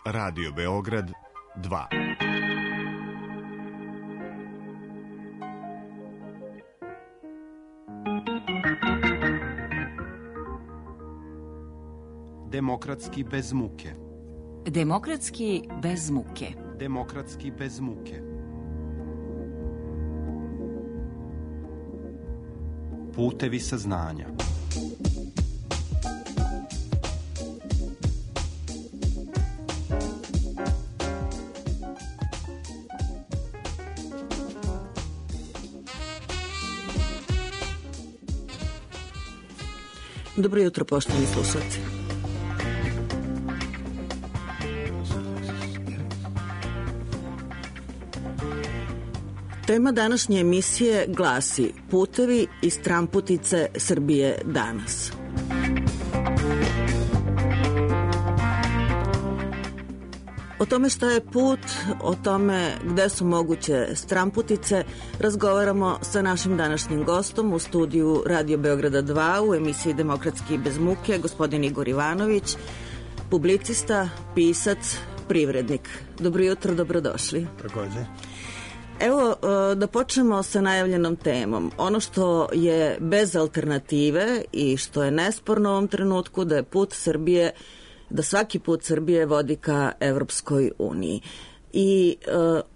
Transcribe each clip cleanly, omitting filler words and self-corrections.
Radio Beograd 2. Demokratski bez muke. Demokratski bez muke. Demokratski bez muke. Putevi saznanja. Dobro jutro, poštovani slušalci. Tema današnje emisije glasi Putevi i stramputice Srbije danas. O tome šta je put, o tome gde su moguće stramputice, razgovaramo sa našim današnjim gostom u studiju Radio Beograda 2 u emisiji Demokratski bez muke, gospodin Igor Ivanović, publicista, pisac, privrednik. Dobro jutro, dobrodošli. Takođe. Evo, da počnemo sa najavljenom temom. Ono što je bez alternative i što je nesporno u ovom trenutku da je put Srbije, da svaki put Srbije vodi ka Evropskoj uniji. I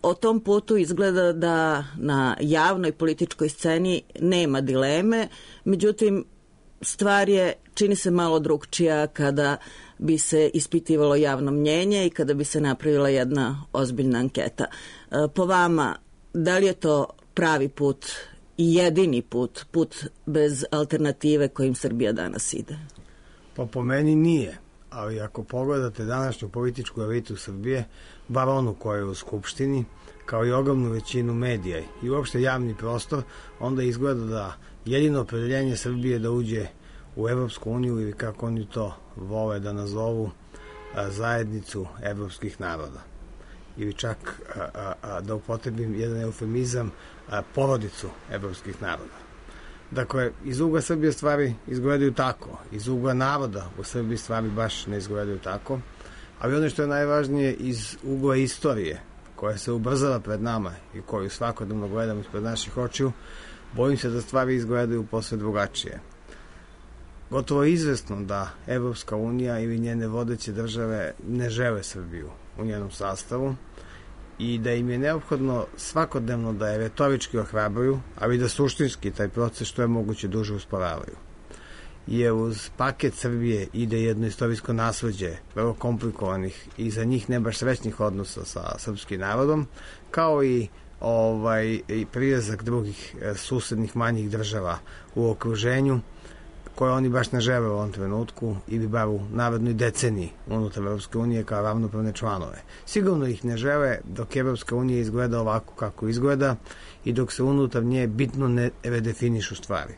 o tom putu izgleda da na javnoj političkoj sceni nema dileme, međutim stvar je, čini se, malo drugčija kada bi se ispitivalo javno mnjenje i kada bi se napravila jedna ozbiljna anketa. Po vama, da li je to pravi put i jedini put, put bez alternative kojim Srbija danas ide? Pa po meni nije, ali ako pogledate današnju političku elitu Srbije, bar onu koja je u Skupštini, kao i ogromnu većinu medija i uopšte javni prostor, onda izgleda da jedino opredeljenje Srbije da uđe u Evropsku uniju ili kako oni to vole da nazovu zajednicu evropskih naroda. Ili čak, da upotrebim jedan eufemizam, porodicu evropskih naroda. Dakle, iz ugla Srbije stvari izgledaju tako, iz ugla naroda u Srbiji stvari baš ne izgledaju tako, ali ono što je najvažnije iz ugla istorije, koja se ubrzava pred nama i koju svakodnevno gledamo ispred naših očiju, bojim se da stvari izgledaju posve drugačije. Gotovo je izvesno da Evropska unija ili njene vodeće države ne žele Srbiju u njenom sastavu i da im je neophodno svakodnevno da je retorički ohrabruju, ali da suštinski taj proces što je moguće duže usporavaju. Jer uz paket Srbije ide jedno istorijsko nasleđe vrlo komplikovanih i za njih ne baš srećnih odnosa sa srpskim narodom, kao i prilazak drugih susednih manjih država u okruženju, koje oni baš ne žele u ovom trenutku ili bar u narednoj deceniji unutar Evropske unije kao ravnopravne članove. Sigurno ih ne žele dok Evropska unija izgleda ovako kako izgleda i dok se unutar nje bitno ne redefinišu stvari.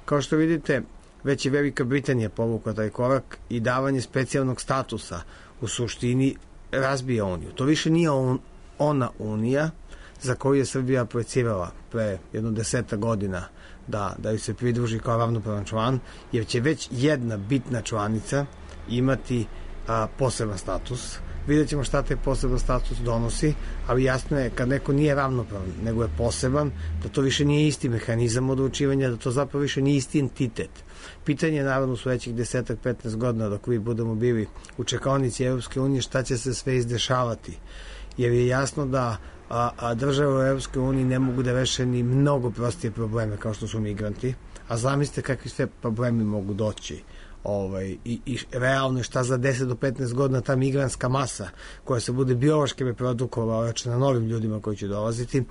Kao što vidite, već je Velika Britanija povukla taj korak i davanje specijalnog statusa u suštini razbija uniju. To više nije ona unija za koju je Srbija projecirala pre jedno 10 godina da ju se pridruži kao ravnopravan član, jer će već jedna bitna članica imati poseban status. Vidjet ćemo šta taj poseban status donosi, ali jasno je kad neko nije ravnopravan, nego je poseban, da to više nije isti mehanizam odlučivanja, da to zapravo više nije isti entitet. Pitanje je naravno u sledećih 10-15 godina dok vi budemo bili u čekaonici Evropske unije šta će se sve izdešavati, jer je jasno da države u Evropskoj uniji ne mogu da reše ni mnogo prostije probleme kao što su migranti, a zamislite kakvi sve problemi mogu doći i realno šta za 10 do 15 godina ta migrantska masa koja se bude biološki reprodukovala na novim ljudima koji će dolaziti,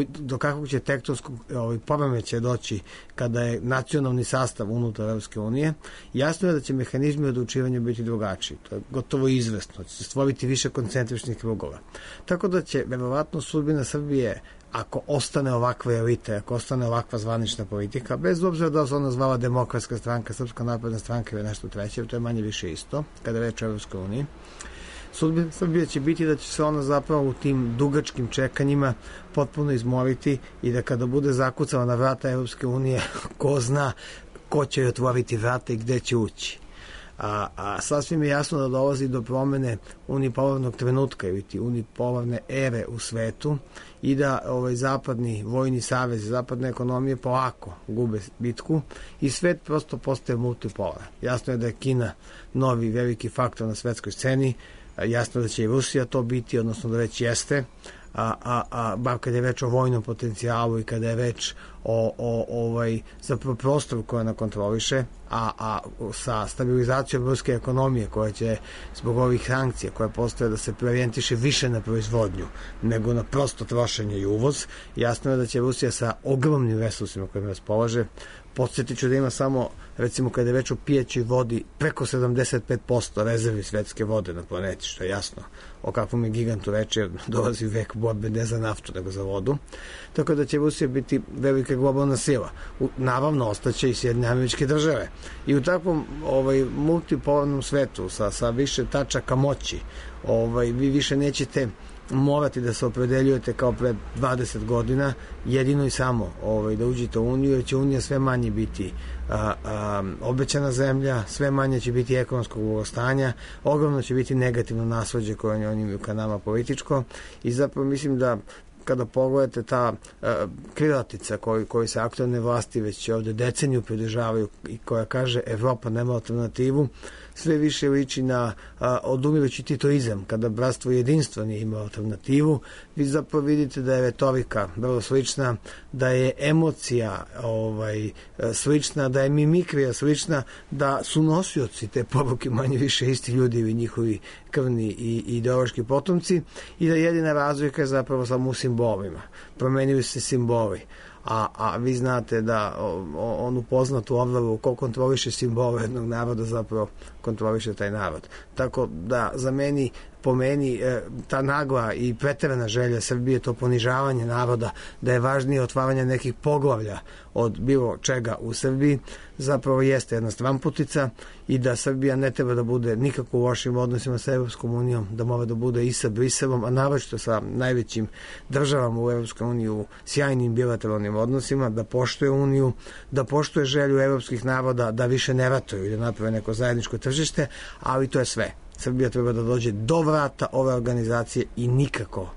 do kakvog će tektonskog poremećaja doći kada je nacionalni sastav unutar Evropske unije. Jasno je da će mehanizmi odlučivanja biti drugačiji, to je gotovo izvesno, će se stvoriti više koncentričnih krugova, tako da će verovatno sudbina Srbije, ako ostane ovakva elita, ako ostane ovakva zvanična politika, bez obzira da se ona zvala Demokratska stranka, Srpska napredna stranka ili nešto treće, to je manje više isto, kada reč o Evropskoj uniji, sudbina Srbije će biti da će se ona zapravo u tim dugačkim čekanjima potpuno izmoriti i da kada bude zakucala na vrata Evropske unije, ko zna ko će joj otvoriti vrata i gde će ući. A sasvim je jasno da dolazi do promene unipolarnog trenutka ili unipolarne ere u svetu i da zapadni vojni savez, zapadne ekonomije polako gube bitku i svet prosto postaje multipolar. Jasno je da je Kina novi veliki faktor na svetskoj sceni, jasno da će i Rusija to biti, odnosno da već jeste, bar kada je reč o vojnom potencijalu i kada je reč o zapravo prostoru koja ona kontroliše, a sa stabilizacijom ruske ekonomije koja će zbog ovih sankcija koje postoje da se preorijentiše više na proizvodnju nego na prosto trošenje i uvoz, jasno je da će Rusija sa ogromnim resursima kojima raspolaže. Podsjetit ću da ima samo, recimo kada je reč o pijećoj vodi, preko 75% rezervi svetske vode na planeti, što je jasno o kakvom je gigantu reči, jer dolazi vek borbe ne za naftu, nego za vodu. Tako da će Rusija biti velika globalna sila. Naravno, ostaće i Sjedinjene Američke Države. I u takvom multipolarnom svetu sa više tačaka moći, vi više nećete morati da se opredeljujete kao pred 20 godina jedino i samo da uđete u Uniju, jer će Unija sve manje biti obećana zemlja, sve manje će biti ekonomskog blagostanja, ogromno će biti negativno nasleđe koje oni imaju ka nama političko i zapravo mislim da kada pogledate ta krilatica koji se aktualne vlasti već ovde deceniju pridržavaju i koja kaže Evropa nema alternativu, sve više liči na odumirujući titoizam, kada bratstvo i jedinstvo nije imao alternativu. Vi zapravo vidite da je retorika vrlo slična, da je emocija slična, da je mimikrija slična, da su nosioci te poruke manje više isti ljudi ili njihovi krvni i ideološki potomci i da jedina razlika je zapravo samo u simbolima. Promenili se simboli. A vi znate da onu poznatu Orwellu ko kontroliše simbole jednog naroda zapravo kontroliše taj narod. Tako da po meni ta nagla i preterana želja Srbije, to ponižavanje naroda, da je važnije otvaranje nekih poglavlja od bilo čega u Srbiji, zapravo jeste jedna stramputica i da Srbija ne treba da bude nikako u lošim odnosima sa Evropskom unijom, da mora da bude i sa Briselom, a naročito sa najvećim državama u Evropskoj uniji u sjajnim bilateralnim odnosima, da poštuje uniju, da poštuje želju evropskih naroda da više ne ratuju i da naprave neko zajedničko tržište, ali to je sve. Srbija treba da dođe do vrata ove organizacije i nikako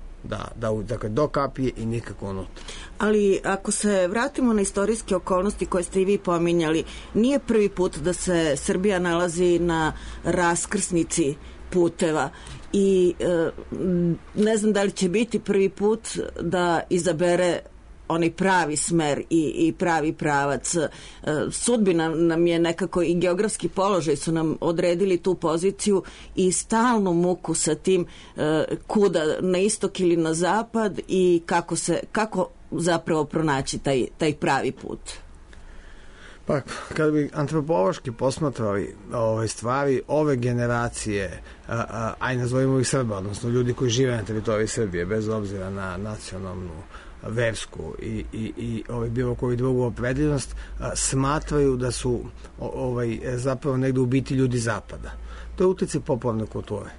dakle do kapije i nikako unutra. Ali ako se vratimo na istorijske okolnosti koje ste i vi pominjali, nije prvi put da se Srbija nalazi na raskrsnici puteva i ne znam da li će biti prvi put da izabere onaj pravi smer i pravi pravac. Sudbina nam je nekako i geografski položaj su nam odredili tu poziciju i stalnu muku sa tim kuda na istok ili na zapad i kako zapravo pronaći taj pravi put. Pa, kada bi antropološki posmatrali stvari, ove generacije, aj nazovimo ih Srba, odnosno ljudi koji žive na teritoriji Srbije, bez obzira na nacionalnu, versku i bilo koju drugu opredeljenost, smatraju da su zapravo negde u biti ljudi zapada. To je uticaj popularne kulture.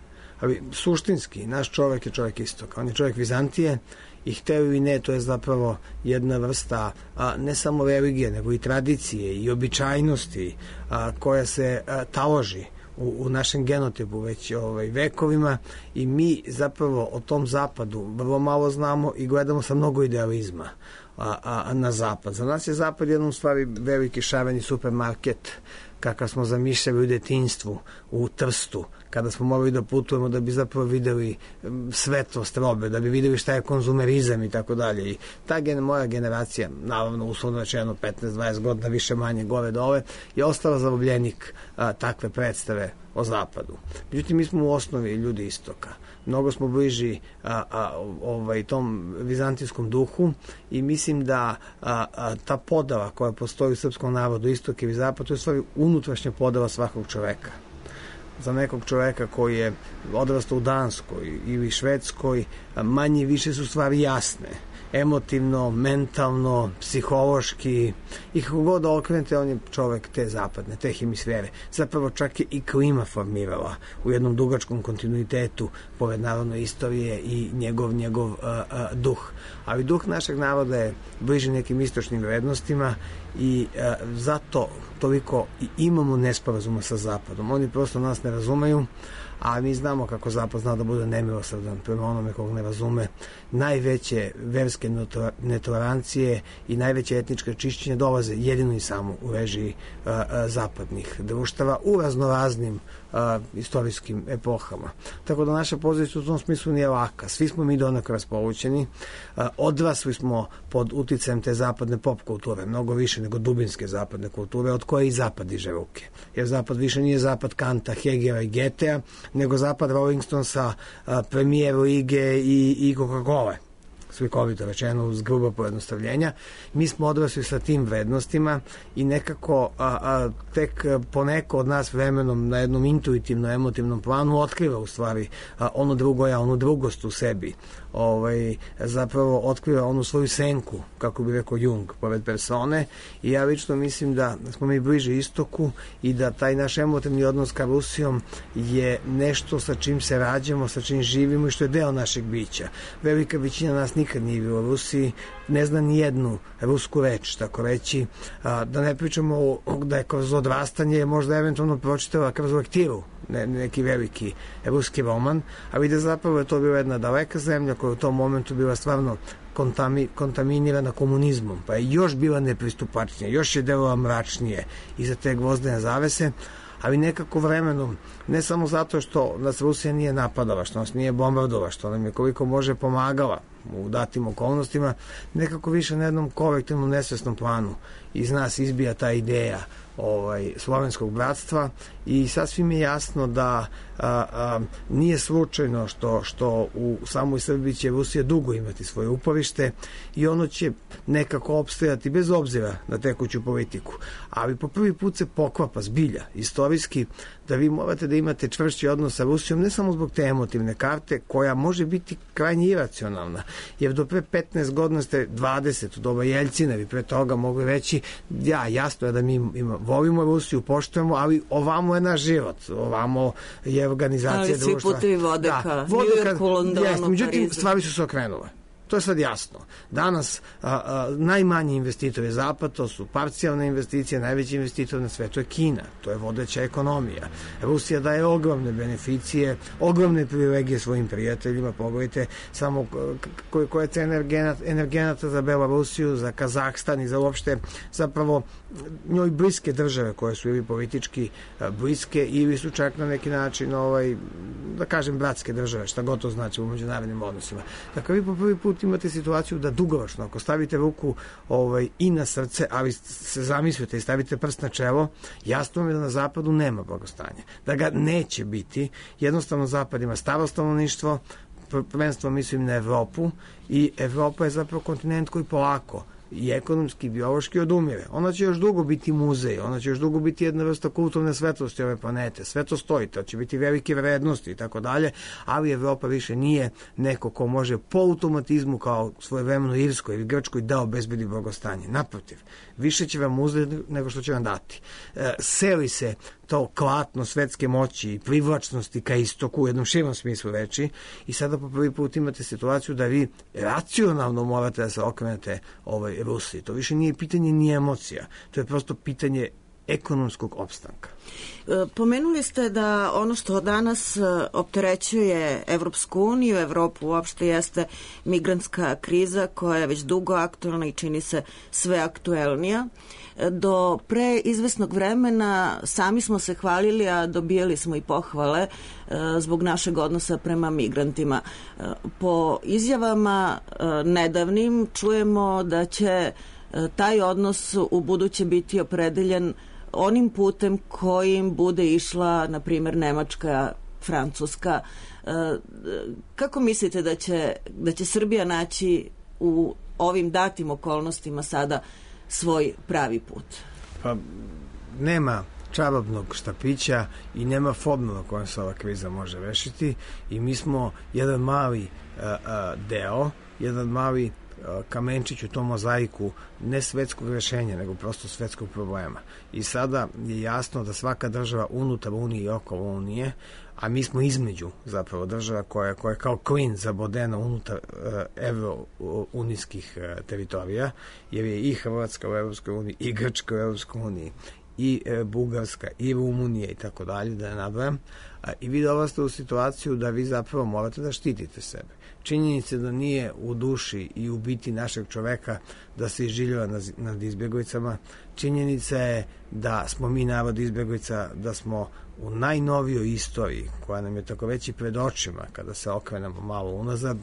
Ali suštinski, naš čovek je čovek istoka. On je čovek Vizantije i hteo ili ne, to je zapravo jedna vrsta ne samo religije, nego i tradicije i običajnosti koja se taloži u našem genotipu već vekovima i mi zapravo o tom zapadu vrlo malo znamo i gledamo sa mnogo idealizma na zapad. Za nas je zapad jednom stvari veliki šareni supermarket kakav smo zamišljali u detinjstvu u Trstu, kada smo morali da putujemo da bi zapravo videli svetlost robe, da bi videli šta je konzumerizam i tako dalje. I ta moja generacija, naravno uslovno rečeno 15-20 godina više manje gore dole, je ostala zarobljenik takve predstave o zapadu. Međutim, mi smo u osnovi ljudi istoka. Mnogo smo bliži tom vizantijskom duhu i mislim da ta podela koja postoji u srpskom narodu, istok i zapad, to je stvari unutrašnja podela svakog čoveka. Za nekog čoveka koji je odrastao u Danskoj ili Švedskoj, manje više su stvari jasne. Emotivno, mentalno, psihološki i kako god da okrenete, on je čovek te zapadne, te hemisfere. Zapravo čak je i klima formirala u jednom dugačkom kontinuitetu pored narodne istorije i njegov duh. Ali duh našeg naroda je bliži nekim istočnim vrednostima i zato toliko i imamo nesporazuma sa Zapadom. Oni prosto nas ne razumeju, a mi znamo kako Zapad zna da bude nemilosrdan prema onome kog ne razume. Najveće verske netolerancije i najveće etničke čišćenje dolaze jedino i samo u režiji zapadnih društava u raznoraznim istorijskim epohama. Tako da naša pozicija u tom smislu nije laka. Svi smo mi donekle raspolućeni. Odrasli smo pod uticajem te zapadne pop kulture, mnogo više nego dubinske zapadne kulture, od koje i Zapad diže ruke. Jer Zapad više nije Zapad Kanta, Hegela i Getea, nego Zapad Rolling Stonesa, Premier Lige i Coca-Cola. Slikovito rečeno uz grubo pojednostavljenja. Mi smo odrasli sa tim vrednostima i nekako tek poneko od nas vremenom na jednom intuitivno emotivnom planu otkriva u stvari ono drugo ja, onu drugost u sebi. Zapravo otkriva onu svoju senku, kako bi rekao Jung, pored persone, i ja lično mislim da smo mi bliže istoku i da taj naš emotivni odnos ka Rusijom je nešto sa čim se rađamo, sa čim živimo i što je deo našeg bića. Velika većina nas nikad nije bilo u Rusiji, ne zna ni jednu rusku reč, tako reći, da ne pričamo da je kroz odrastanje možda eventualno pročitala kroz lektiru neki veliki ruski roman, ali da zapravo je to bila jedna daleka zemlja koja u tom momentu bila stvarno kontaminirana komunizmom, pa je još bila nepristupačnija, još je delala mračnije iza te gvozdene zavese, ali nekako vremenom, ne samo zato što nas Rusija nije napadala, što nas nije bombardovala, što nam je koliko može pomagala u datim okolnostima, nekako više na jednom kolektivnom nesvesnom planu iz nas izbija ta ideja slovenskog bratstva i sasvim je jasno da nije slučajno što u samoj Srbiji će Rusija dugo imati svoje uporište i ono će nekako opstajati bez obzira na tekuću politiku. Ali po prvi put se poklapa zbilja istorijski da vi morate da imate čvršći odnos sa Rusijom, ne samo zbog te emotivne karte koja može biti krajnje iracionalna, jer do pre 15 godina ste 20 u doba Jeljcina, vi pre toga mogli reći jasno je da mi volimo Rusiju, poštujemo, ali ovamo je naš život, ovamo je organizacija društva. Ali svi putevi vode ka New Yorku, Londonu, Parizu. Međutim, stvari su se okrenule. To je sad jasno. Danas najmanji investitor je Zapad, to su parcijalne investicije, najveći investitor na svetu je Kina, to je vodeća ekonomija. Rusija daje ogromne beneficije, ogromne privilegije svojim prijateljima, pogledajte samo koja je cena energenata za Belorusiju, za Kazahstan i za uopšte zapravo njoj bliske države koje su ili politički bliske ili su čak na neki način da kažem bratske države, šta god to znači u međunarodnim odnosima. Dakle, vi po prvi put imate situaciju da dugoročno, ako stavite ruku i na srce, ali se zamislite i stavite prst na čelo, jasno je da na Zapadu nema blagostanja. Da ga neće biti. Jednostavno Zapad ima staro stanovništvo, prvenstveno mislim na Evropu, i Evropa je zapravo kontinent koji polako i ekonomski i biološki odumire. Ona će još dugo biti muzej, ona će još dugo biti jedna vrsta kulturne svetlosti ove planete. Sve to stoji, to će biti velike vrednosti i tako dalje, ali Evropa više nije neko ko može po automatizmu kao svojevremeno Irskoj ili Grčkoj da obezbedi blagostanje. Naprotiv, više će vam uzeti nego što će vam dati. Seli se to klatno svetske moći i privlačnosti ka istoku u jednom širom smislu reči i sada po prvi put imate situaciju da vi racionalno morate da se okrenete Rusiji. To više nije pitanje ni emocija, to je prosto pitanje ekonomskog opstanka. Pomenuli ste da ono što danas opterećuje Evropsku uniju, Evropu uopšte jeste migrantska kriza koja je već dugo aktualna i čini se sve aktuelnija. Do pre izvesnog vremena sami smo se hvalili, a dobijali smo i pohvale zbog našeg odnosa prema migrantima. Po izjavama nedavnim čujemo da će taj odnos u buduće biti opredeljen onim putem kojim bude išla, na primjer, Nemačka, Francuska. Kako mislite da će Srbija naći u ovim datim okolnostima sada svoj pravi put? Pa nema čarobnog štapića i nema formula kojom se ova kriza može rešiti i mi smo jedan mali deo, jedan mali kamenčić u tom mozaiku ne svetskog rešenja, nego prosto svetskog problema. I sada je jasno da svaka država unutar Unije i okolo Unije, a mi smo između zapravo država koja je kao klin zabodena unutar evrounijskih teritorija, jer je i Hrvatska u Evropskoj uniji i Grčka u Evropskoj uniji i Bugarska i Rumunija i tako dalje, da ne nabrajam, i vi dolazite u situaciju da vi zapravo morate da štitite sebe. Činjenica da nije u duši i u biti našeg čoveka da se izživljava nad izbjeglicama. Činjenica je da smo mi narod izbjeglica, da smo u najnovijoj istoriji, koja nam je tako već i pred očima, kada se okrenemo malo unazad,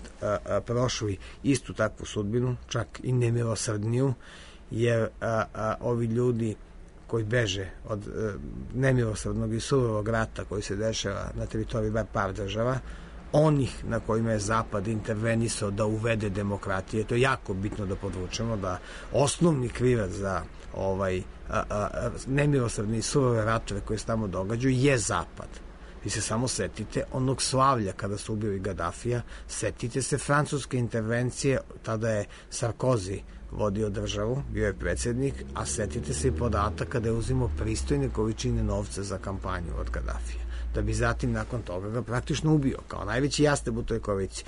prošli istu takvu sudbinu, čak i nemilosrdniju, jer ovi ljudi koji beže od nemilosrdnog i surovog rata koji se dešava na teritoriji par država, onih na kojima je Zapad intervenisao da uvede demokratije, to je jako bitno da podvučemo, da osnovni krivac za nemilosrdne i surove ratove koje se tamo događaju je Zapad. Vi se samo setite onog slavlja kada su ubili Gadafija, setite se francuske intervencije, tada je Sarkozy vodio državu, bio je predsjednik, a setite se i podataka da je uzimao pristojne količine novca za kampanju od Gadafija, da bi zatim nakon toga ga praktično ubio, kao najveći jasteb u toj koaliciji.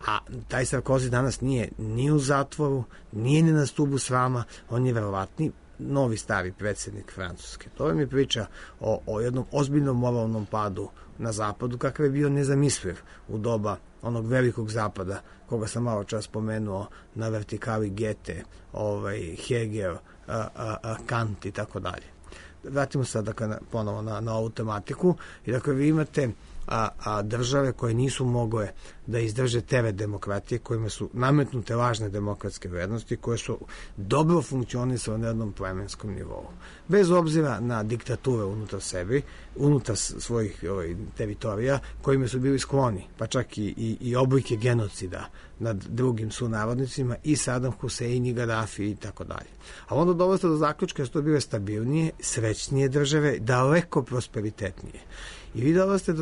A taj Sarkozy danas nije ni u zatvoru, nije ni na stubu srama, on je verovatni novi stari predsjednik Francuske. To vam je priča o jednom ozbiljnom moralnom padu na zapadu, kakav je bio nezamisliv u doba onog velikog zapada, koga sam malo čas spomenuo na vertikali Goethe, Hegel, Kant i tako dalje. Vratimo se ponovo na ovu tematiku i dakle vi imate države koje nisu mogle da izdrže teret demokratije, kojima su nametnute lažne demokratske vrednosti, koje su dobro funkcionisale na jednom plemenskom nivou. Bez obzira na diktature unutar sebi, unutar svojih teritorija, kojima su bili skloni, pa čak i oblike genocida nad drugim sunarodnicima, i Saddam Hussein i Gaddafi i tako dalje. A onda dolazi do zaključka da su to bile stabilnije, srećnije države, daleko prosperitetnije. I vi dolazite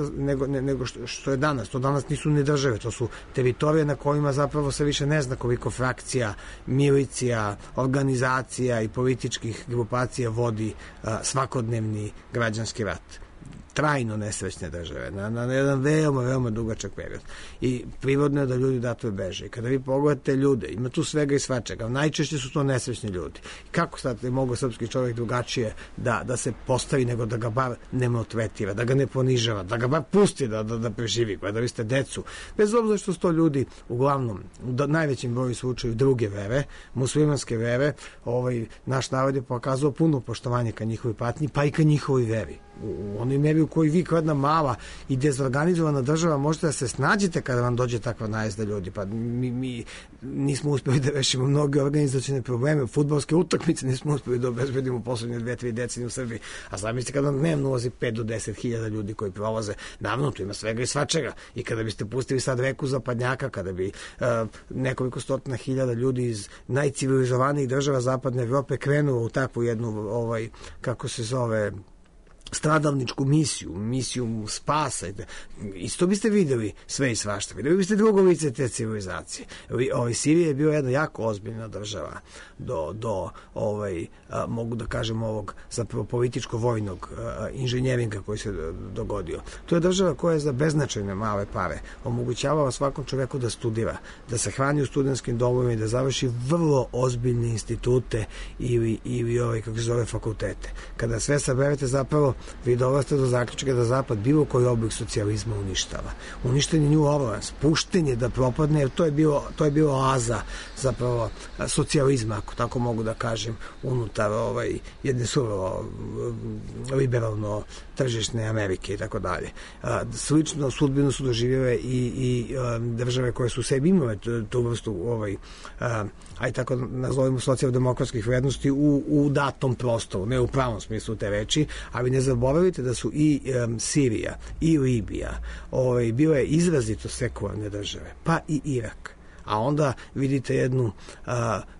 nego što je danas. To danas nisu ni države, to su teritorije na kojima zapravo se više ne zna koliko frakcija, milicija, organizacija i političkih grupacija vodi svakodnevni građanski rat. Trajno nesrećne države, na jedan veoma, veoma dugačak period. I prirodno je da ljudi dato beže. I kada vi pogledate ljude, ima tu svega i svačega, najčešće su to nesrećni ljudi. I kako sad je mogo srpski čovjek drugačije da se postavi, nego da ga bar ne maltretira, da ga ne ponižava, da ga bar pusti da preživi, da vi ste decu. Bez obzira što su to ljudi, uglavnom, u najvećem broju slučaju druge vere, muslimanske vere, naš narod je pokazao puno poštovanje ka njihovi patnji, pa i ka njihovi veri. U onoj meri u kojoj vi kao jedna mala i dezorganizovana država možete da se snađete kada vam dođe takva najezda ljudi. Pa mi nismo uspjeli da rešimo mnoge organizacione probleme, fudbalske utakmice nismo uspjeli da obezbedimo u poslednje 2-3 decenije u Srbiji. A zamislite kada dnevno ulazi 5 do 10 hiljada ljudi koji prolaze. Naravno, tu ima svega i svačega. I kada biste pustili sad reku zapadnjaka, kada bi nekoliko stotina hiljada ljudi iz najcivilizovanijih država zapadne Evrope krenulo u takvu jednu, kako se zove, stradalničku misiju spasa. Isto biste videli sve i svašta. Videli biste drugo lice te civilizacije. Sirija je bila jedna jako ozbiljna država do mogu da kažem ovog zapravo političko-vojnog inženjeringa koji se dogodio. To je država koja je za beznačajne male pare omogućavala svakom čoveku da studira, da se hrani u studentskim domovima i da završi vrlo ozbiljne institute ili kako se zove, fakultete. Kada sve saberete, zapravo vi dolazite do zaključka da Zapad bilo koji oblik socijalizma uništava. Uništen je New Orleans, pušten je da propadne, jer to je bilo oaza zapravo socijalizma, ako tako mogu da kažem, unutar jedne surovo liberalno tržišne Amerike i tako dalje. Slično sudbinu su doživjele i države koje su sebi imale tu vrstu aj tako nazovimo socijaldemokratskih vrednosti u datom prostoru, ne u pravom smislu te reči, ali ne zaboravite da su i Sirija i Libija bile izrazito sekularne države, pa i Irak. A onda vidite jednu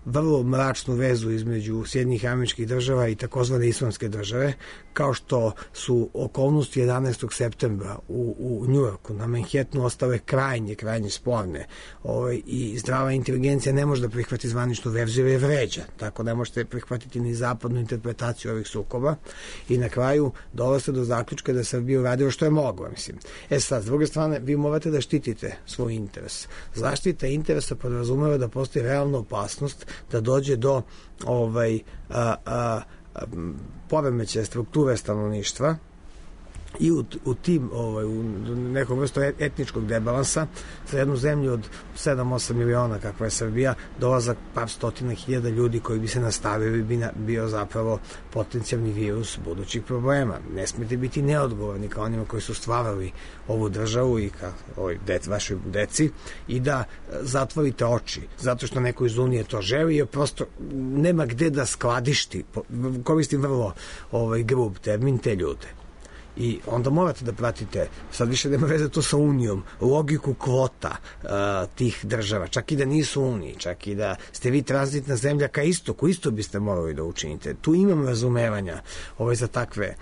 vrlo mračnu vezu između Sjedinjenih Američkih Država i takozvane islamske države, kao što su okolnosti 11. septembra u Njujorku na Manhattanu ostale krajnje sporne, i zdrava inteligencija ne može da prihvati zvaničnu verziju jer je vređa, tako ne možete prihvatiti ni zapadnu interpretaciju ovih sukoba, i na kraju dolazite do zaključka da Srbija uradila što je mogla, mislim. Sad, s druge strane, vi morate da štitite svoj interes. Zaštita interesa podrazumeva da postoji realna opasnost da dođe do poremećaja strukture stanovništva i u tim u nekom vrstu etničkog debalansa za jednu zemlju od 7-8 miliona kakva je Srbija, dolazak par stotina hiljada ljudi koji bi se nastavili bi bio zapravo potencijalni virus budućih problema. Ne smijete biti neodgovorni kao onima koji su stvarali ovu državu i kao vašoj deci i da zatvorite oči zato što neko iz Unije to želi jer prosto nema gde da skladišti, koristim vrlo grub termin, te ljude. I onda morate da pratite, sad više nema veze to sa Unijom, logiku kvota tih država, čak i da nisu Uniji, čak i da ste vi tranzitna zemlja ka istoku, isto biste morali da učinite. Tu imam razumevanja za takve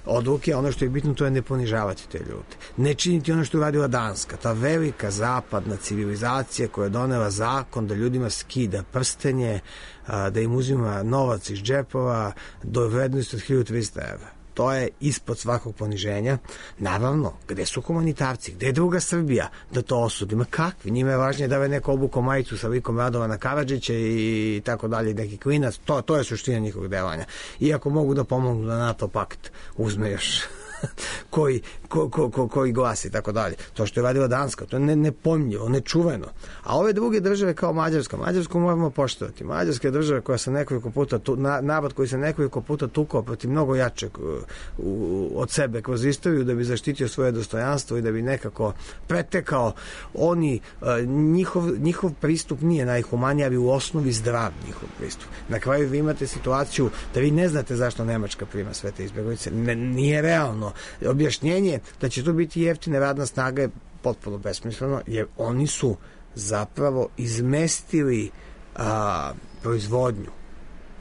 odluke, ono što je bitno to je ne ponižavati te ljude. Ne činiti ono što je uradila Danska, ta velika zapadna civilizacija koja je donela zakon da ljudima skida prstenje, da im uzima novac iz džepova do vrednosti od 1300 evra. To je ispod svakog poniženja. Naravno, gde su humanitarci? Gde je druga Srbija da to osudi? Ma kakvi? Njima je važnije da je neko obuko majicu sa likom Radovana Karadžića i tako dalje, neki klinac. To je suština njihovog delanja. Iako mogu da pomognu da NATO pakt uzme još koji glasi i tako dalje. To što je radila Danska, to je nepojmljivo, nečuveno. A ove druge države kao Mađarsku moramo poštovati. Mađarska je država koja se nekoliko puta, narod koji se nekoliko puta tukao protiv mnogo jačeg od sebe kroz istoriju da bi zaštitio svoje dostojanstvo i da bi nekako pretekao njihov pristup nije najhumaniji, ali u osnovi zdrav njihov pristup. Na kraju vi imate situaciju da vi ne znate zašto Nemačka prima sve te izbjeglice. Nije realno. Objašnjenje da će to biti jeftina radna snaga je potpuno besmisleno, jer oni su zapravo izmestili proizvodnju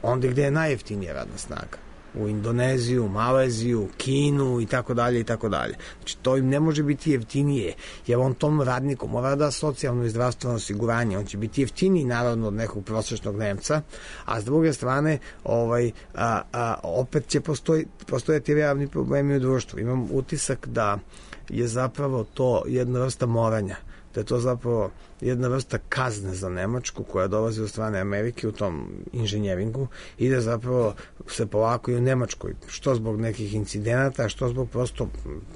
onda gde je najjeftinija radna snaga. U Indoneziju, Maleziju, Kinu i tako dalje i tako dalje. Znači to im ne može biti jeftinije, jer on tom radniku mora da socijalno i zdravstveno osiguranje, on će biti jeftiniji naravno od nekog prosječnog Nemca, a s druge strane opet će postojati realni problemi u društvu. Imam utisak da je zapravo to jedna vrsta moranja, da je to zapravo jedna vrsta kazne za Nemačku koja dolazi od strane Amerike u tom inženjeringu i da zapravo se polako i u Nemačkoj, što zbog nekih incidenata, što zbog prosto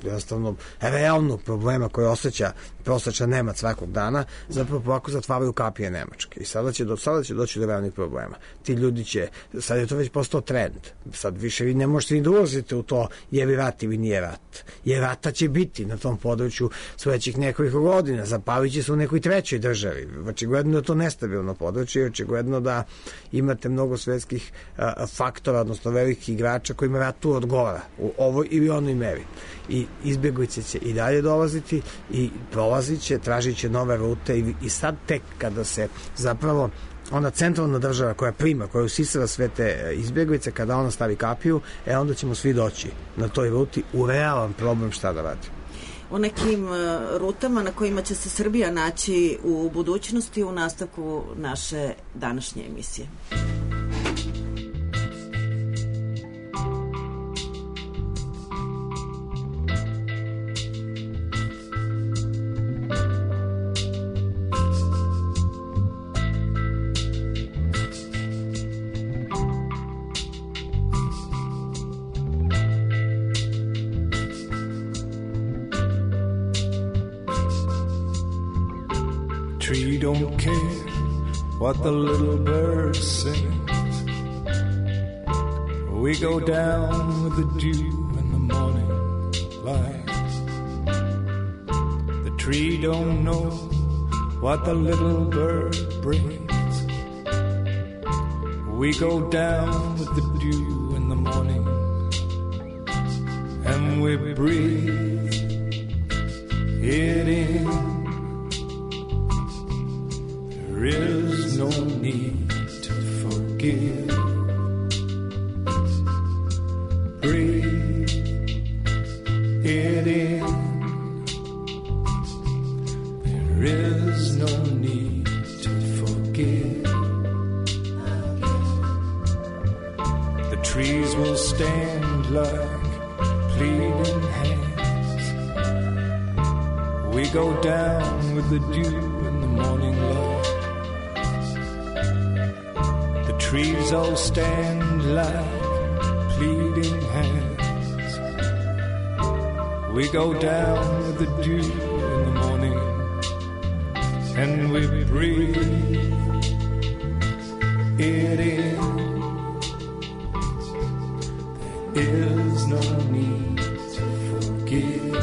jednostavno realnog problema koje osjeća prosječan Nemac svakog dana, zapravo polako zatvaraju kapije Nemačke. I sada će doći do realnih problema. Ti ljudi će, sad je to već postao trend, sad više vi ne možete ni da ulazite u to je li rat ili nije rat. Jer rata će biti na tom području sledećih nekoliko godina, zapalit će se u nekoj trećoj državi. Očigledno da je to nestabilno područje i očigledno da imate mnogo svetskih faktora, odnosno velikih igrača kojima rat tu odgovara u ovoj ili onoj meri. I izbjeglice će i dalje dolaziti i prolazit će, tražit će nove rute i sad tek kada se zapravo ona centralna država koja prima, koja usisava sve te izbjeglice, kada ona stavi kapiju, onda ćemo svi doći na toj ruti u realan problem šta da radi. O nekim rutama na kojima će se Srbija naći u budućnosti u nastavku naše današnje emisije. Tree don't care what the little bird sings. We go down with the dew in the morning light. The tree don't know what the little bird brings. We go down with the dew in the morning, and we breathe it in. There is no need to forgive. Breathe it in. There is no need to forgive. The trees will stand like pleading hands. We go down with the dew in the morning light. The trees all stand like pleading hands. We go down with the dew in the morning, and we breathe it in. There is no need to forgive.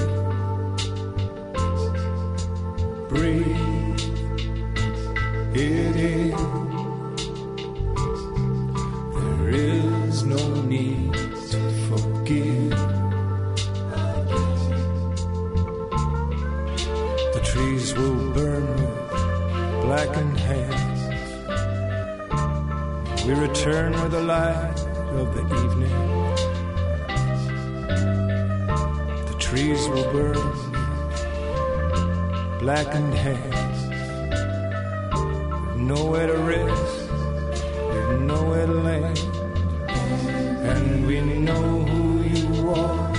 Breathe it in. There is no need to forgive. The trees will burn with blackened hands. We return with the light of the evening. The trees will burn with blackened hands. We've nowhere to rest, we've nowhere to land. And we know who you are,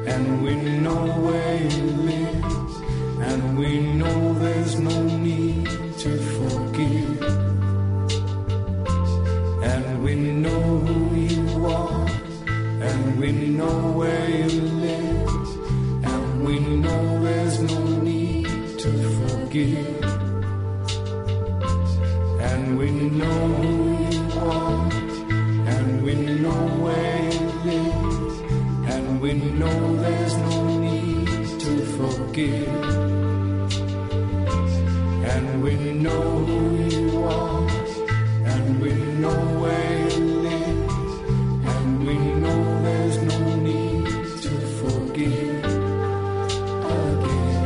and we know where you live, and we know there's no need to forgive. And we know who you are, and we know where you live, and we know there's no need to forgive. And we know who you are, and we know where you live, and we know there's no need to forgive. And we know who you are, and we know where you live, and we know there's no need to forgive again.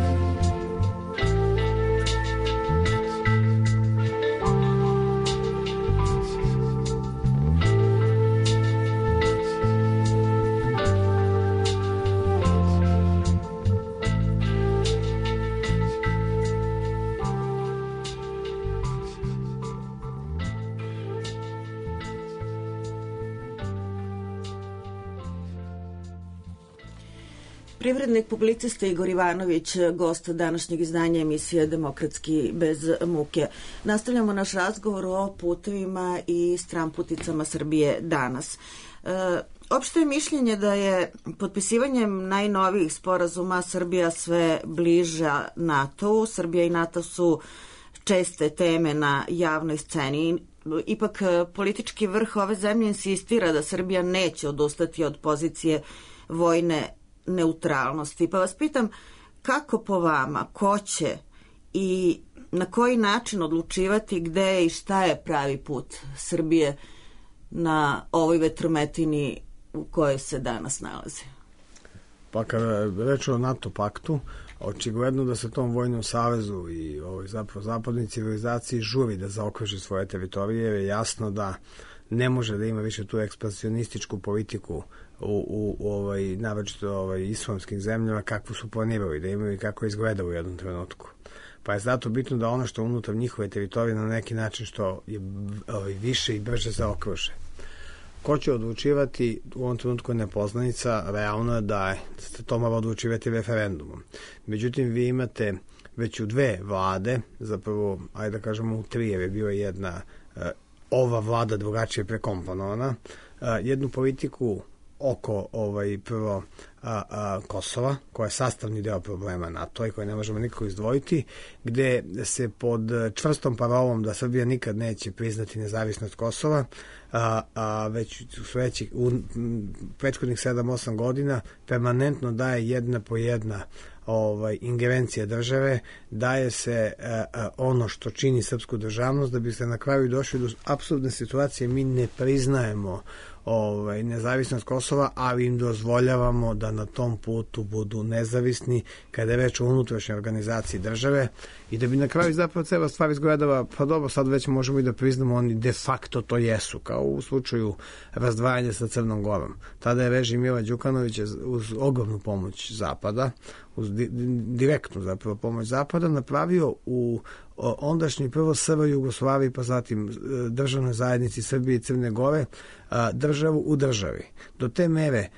Privrednik, publicista Igor Ivanović, gost današnjeg izdanja emisije Demokratski bez muke. Nastavljamo naš razgovor o putevima i stramputicama Srbije danas. Opšte je mišljenje da je potpisivanjem najnovijih sporazuma Srbija sve bliža NATO-u. Srbija i NATO su česte teme na javnoj sceni. Ipak politički vrh ove zemlje insistira da Srbija neće odustati od pozicije vojne neutralnosti. Pa vas pitam, kako po vama, ko će i na koji način odlučivati gde i šta je pravi put Srbije na ovoj vetrometini u kojoj se danas nalazi? Pa kada reč o NATO paktu, očigledno da se tom vojnom savezu i zapravo zapadnoj civilizaciji žuri da zaokruži svoje teritorije, jer je jasno da ne može da ima više tu ekspansionističku politiku u naročito islamskim zemljama kakvu su planirali da imaju i kako izgleda u jednom trenutku. Pa je zato bitno da ono što unutar njihove teritorije na neki način što je više i brže zaokruže. Ko će odlučivati u ovom trenutku je nepoznanica, realno je da se to mora odlučivati referendumom. Međutim, vi imate već u dve vlade, zapravo, ajde da kažemo u tri, jer je bila jedna ova vlada drugačije prekomponovana, jednu politiku oko prvo Kosova, koja je sastavni deo problema NATO i koje ne možemo nikako izdvojiti, gde se pod čvrstom parolom da Srbija nikad neće priznati nezavisnost Kosova, već u prethodnih 7-8 godina permanentno daje jedna po jedna ingerencija države, daje se ono što čini srpsku državnost, da bi se na kraju došli do apsurdne situacije. Mi ne priznajemo nezavisnost Kosova, ali im dozvoljavamo da na tom putu budu nezavisni kada je reč o unutrašnjoj organizaciji države i da bi na kraju zapravo cela stvar izgledala, pa dobro, sad već možemo i da priznamo, oni de facto to jesu, kao u slučaju razdvajanja sa Crnom Gorom. Tada je režim Mila Đukanovića uz ogromnu pomoć Zapada direktnu zapravo pomoć Zapada, napravio u ondašnjoj prvo SR Jugoslaviji, pa zatim državnoj zajednici Srbije i Crne Gore, državu u državi. Do te mere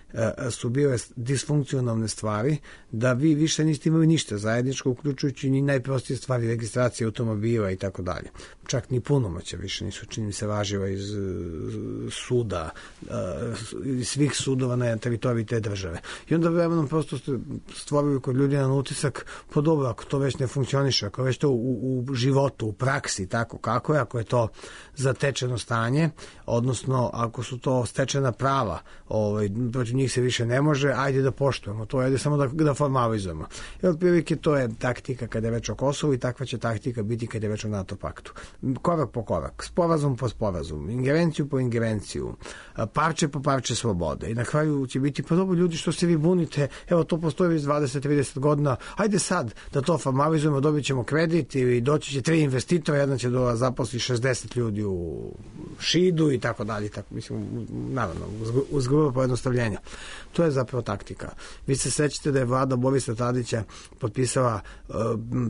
su bile disfunkcionalne stvari da vi više niste imali ništa zajedničko, uključujući ni najprostije stvari, registracije automobila i tako dalje. Čak ni punomoća više nisu, čini mi se, važiva iz suda, iz svih sudova na teritoriji te države. I onda vremenom prosto ste stvorili kod ljudi na utisak, pa dobro, ako to već ne funkcioniše, ako već to u životu, u praksi, tako kako je, ako je to zatečeno stanje, odnosno ako su to stečena prava, protiv njih se više ne može, ajde da poštujemo to, ajde samo da formalizujemo. I otprilike to je taktika kada je već o Kosovu i takva će taktika biti kada je već o NATO paktu. Korak po korak, sporazum po sporazum, ingerenciju po ingerenciju, parče po parče slobode. I na kraju će biti, pa dobro ljudi, što se vi bunite, evo to postoji već 20-30 godina, ajde sad da to formalizujemo, dobit ćemo kredit i doći će 3 investitora, jedan će da zaposli 60 ljudi u Šidu i tako dalje, tako, mislim, naravno, uz grubo pojednostavljenja. To je zapravo taktika. Vi se sećate da je vlada Borisa Tadića potpisala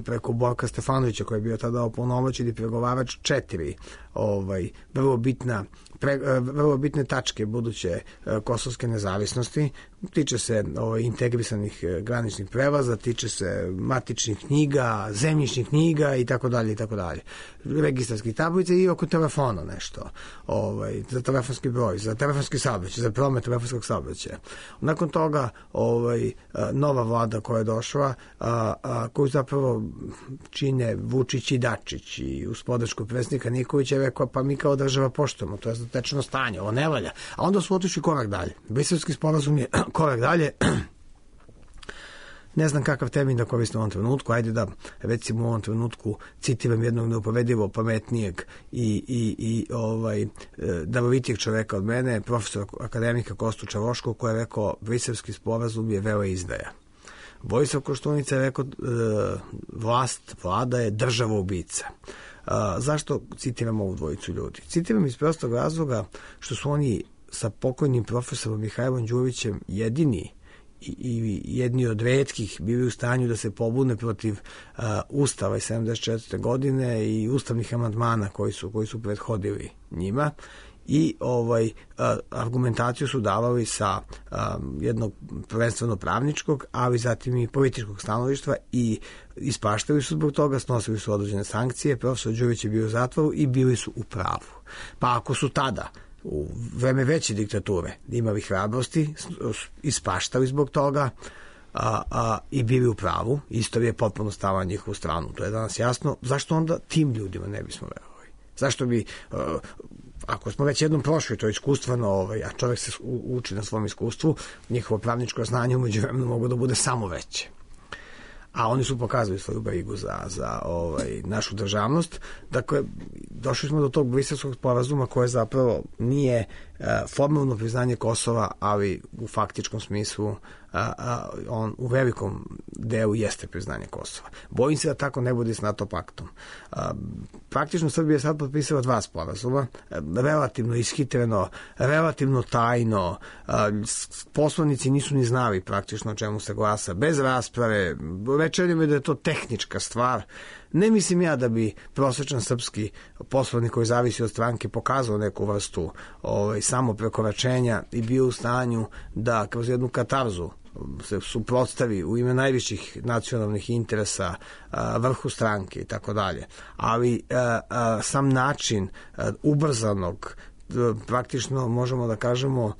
preko Borka Stefanovića, koji je bio tada opunomoćeni pregovarač 4 vrlo bitne tačke buduće kosovske nezavisnosti. Tiče se integrisanih graničnih prelaza, tiče se matičnih knjiga, zemljišnih knjiga i tako dalje i tako dalje. Registarskih tablica i oko telefona nešto. Za telefonski broj, za telefonski saobraćaj, za promet telefonskog saobraćaja. Nakon toga nova vlada koja je došla, koju zapravo čine Vučić i Dačić i uz podršku predsjednika Nikolića, je rekao, pa mi kao država poštujemo, to je zatečeno stanje, ovo ne valja. A onda su otišli korak dalje. Briselski sporazum je korak dalje. Ne znam kakav termin da koristim u ovom trenutku, ajde da recimo u ovom trenutku citiram jednog neuporedivo pametnijeg i darovitijeg čoveka od mene, profesora akademika Kostu Čavoškog, koji je rekao, briselski sporazum je veleizdaja. Vojislav Koštunica je rekao, vlada je država ubica. Zašto citiram ovu dvojicu ljudi? Citiram iz prostog razloga što su oni sa pokojnim profesorom Mihajlom Đurićem jedni od retkih bili u stanju da se pobune protiv Ustava iz 74. godine i ustavnih amandmana koji su prethodili njima. I argumentaciju su davali sa jednog prvenstveno pravničkog, ali zatim i političkog stanovištva i ispaštali su zbog toga, snosili su određene sankcije, profesor Đurić je bio u zatvoru i bili su u pravu. Pa ako su tada u vreme veće diktature imali hrabrosti, ispaštali zbog toga i bili u pravu, istorija je potpuno stala na njihovu stranu. To je danas jasno. Zašto onda tim ljudima ne bismo verovali? Zašto bi, ako smo već jednom prošli to iskustveno, a čovjek se uči na svom iskustvu, njihovo pravničko znanje umeđu vremenu mogu da bude samo veće. A oni su pokazali svoju brigu za našu državnost. Dakle, došli smo do tog briselskog sporazuma koje zapravo nije formalno priznanje Kosova, ali u faktičkom smislu on u velikom delu jeste priznanje Kosova. Bojim se da tako ne bude s NATO paktom. Praktično Srbija je sad potpisala 2 sporazuma, relativno ishitreno, relativno tajno, poslanici nisu ni znali praktično o čemu se glasa, bez rasprave, rečeno mi da je to tehnička stvar. Ne mislim ja da bi prosječan srpski poslanik koji zavisi od stranke pokazao neku vrstu samo prekoračenja i bio u stanju da kroz jednu katarzu se suprotstavi u ime najviših nacionalnih interesa vrhu stranke i tako dalje. Ali sam način ubrzanog, praktično možemo da kažemo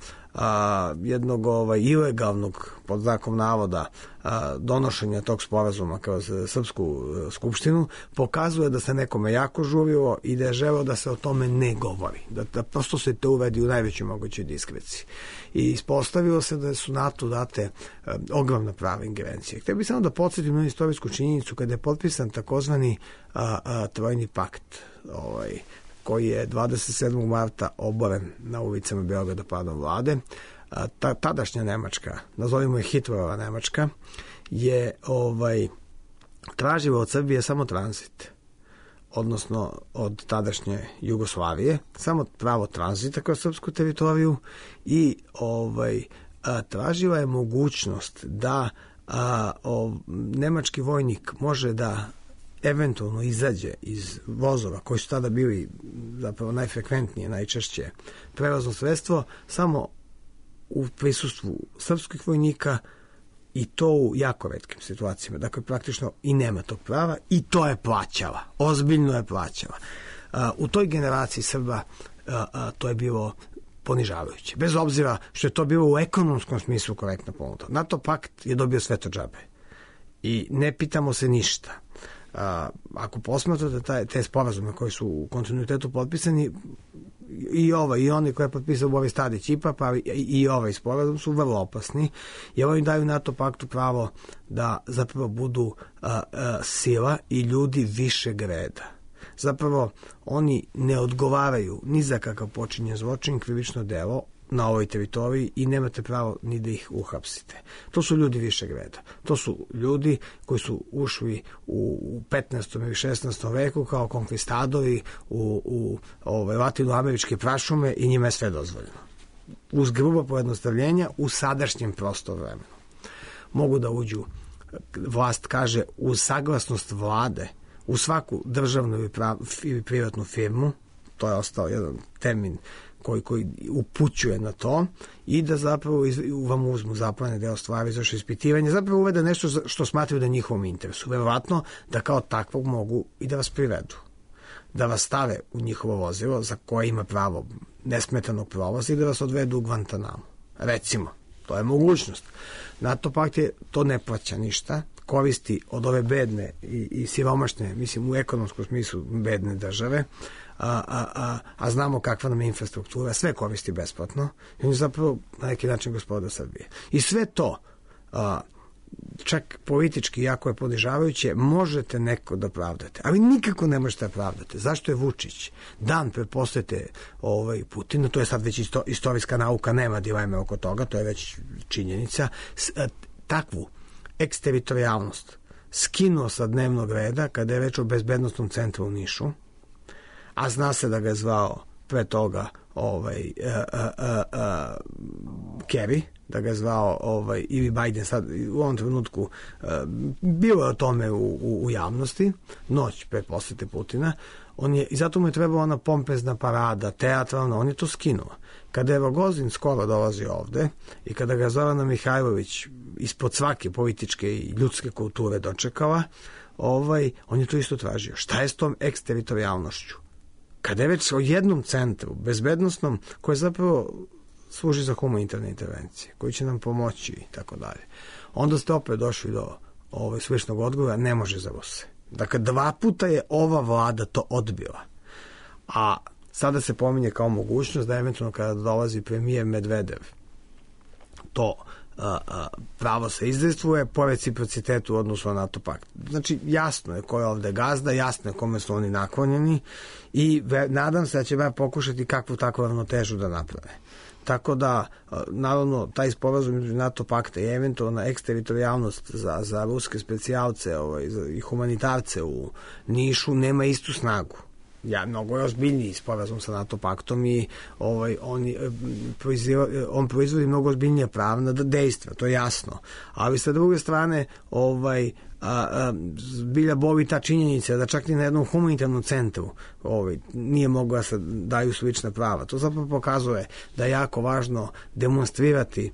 jednog ilegalnog, pod znakom navoda, donošenja tog sporazuma kroz Srpsku skupštinu pokazuje da se nekome jako žurilo i da je želeo da se o tome ne govori, da prosto se to uvedi u najvećoj mogućoj diskreciji. I ispostavilo se da su NATO date ogromna prava ingerencije. Htio bih samo da podsjetim na istorijsku činjenicu kada je potpisan takozvani Trojni pakt, koji je 27. marta oboren na ulicama Beograda padom vlade. Tadašnja Nemačka, nazovimo je Hitlerova Nemačka, je tražila od Srbije samo tranzit, odnosno od tadašnje Jugoslavije, samo pravo tranzita kroz srpsku teritoriju i tražila je mogućnost da nemački vojnik može da eventualno izađe iz vozova koji su tada bili zapravo najfrekventnije, najčešće prevozno sredstvo, samo u prisustvu srpskih vojnika, i to u jako retkim situacijama. Dakle, praktično i nema tog prava, i to je plaćala. Ozbiljno je plaćala. U toj generaciji Srba to je bilo ponižavajuće. Bez obzira što je to bilo u ekonomskom smislu korektna ponuda. NATO pakt je dobio sve to džabe. I ne pitamo se ništa. Ako posmatrate te sporazume koji su u kontinuitetu potpisani, i oni koji je potpisao Boris Tadić IPA, pa i ovaj sporazum su vrlo opasni, jer oni daju NATO paktu pravo da zapravo budu sila i ljudi višeg reda. Zapravo oni ne odgovaraju ni za kakav počinjen zločin, krivično delo na ovoj teritoriji i nemate pravo ni da ih uhapsite. To su ljudi višeg reda. To su ljudi koji su ušli u 15. ili 16. veku kao konkvistadori u latinoameričke prašume i njima je sve dozvoljeno. Uz grubo pojednostavljenja u sadašnjem prostor vremenu. Mogu da uđu, vlast kaže, uz saglasnost vlade u svaku državnu ili privatnu firmu, to je ostao jedan termin koji upućuje na to, i da zapravo vam uzmu zaplane deo stvari za ispitivanje, zapravo uvede nešto što smatraju da je njihovom interesu. Verovatno da kao takvog mogu i da vas privedu. Da vas stave u njihovo vozilo za koje ima pravo nesmetanog prolaza i da vas odvedu u Guantanamo. Recimo, to je mogućnost. NATO pakt to ne plaća ništa, koristi od ove bedne i siromašne, mislim u ekonomskom smislu bedne države, a znamo kakva nam je infrastruktura, sve koristi besplatno, i on je zapravo na neki način gospodar Srbije. I sve to, čak politički jako je ponižavajuće, možete neko da pravdate, ali nikako ne možete da pravdate. Zašto je Vučić dan pretpostavite Putina, to je sad već istorijska nauka, nema dileme oko toga, to je već činjenica, takvu eksteritorijalnost skinuo sa dnevnog reda kada je reč o bezbednostnom centru u Nišu, a zna se da ga je zvao pre toga Kerry, da ga je zvao ili Biden, sad u ovom trenutku bilo je o tome u javnosti, noć pre posete Putina, i zato mu je trebala ona pompezna parada, teatralna, on je to skinuo. Kada je Rogozin skoro dolazi ovde i kada ga Zorana Mihajlović ispod svake političke i ljudske kulture dočekala, on je to isto tražio. Šta je s tom eksteritorijalnošću? Kada je već o jednom centru, bezbednostnom, koje zapravo služi za humanitarne intervencije, koji će nam pomoći i tako dalje, onda ste opet došli do sličnog odgovora, ne može za Ruse. Dakle, 2 puta je ova vlada to odbila. A sada se pominje kao mogućnost da eventualno kada dolazi premijer Medvedev, to pravo se izdejstvuje po reciprocitetu u odnosu na NATO pakt. Znači, jasno je ko je ovde gazda, jasno je kome su oni naklonjeni i nadam se da će pokušati kakvu takvu ravnotežu da naprave. Tako da, naravno, taj sporazum između NATO pakta i eventualna eksteritorijalnost za ruske specijalce i humanitarce u Nišu nema istu snagu. Mnogo je ozbiljniji sporazum sa NATO paktom i on proizvodi mnogo ozbiljnije pravna dejstva, to je jasno. Ali sa druge strane, zbilja boli ta činjenica da čak ni na jednom humanitarnom centru nije mogla se daju slična prava. To zapravo pokazuje da je jako važno demonstrirati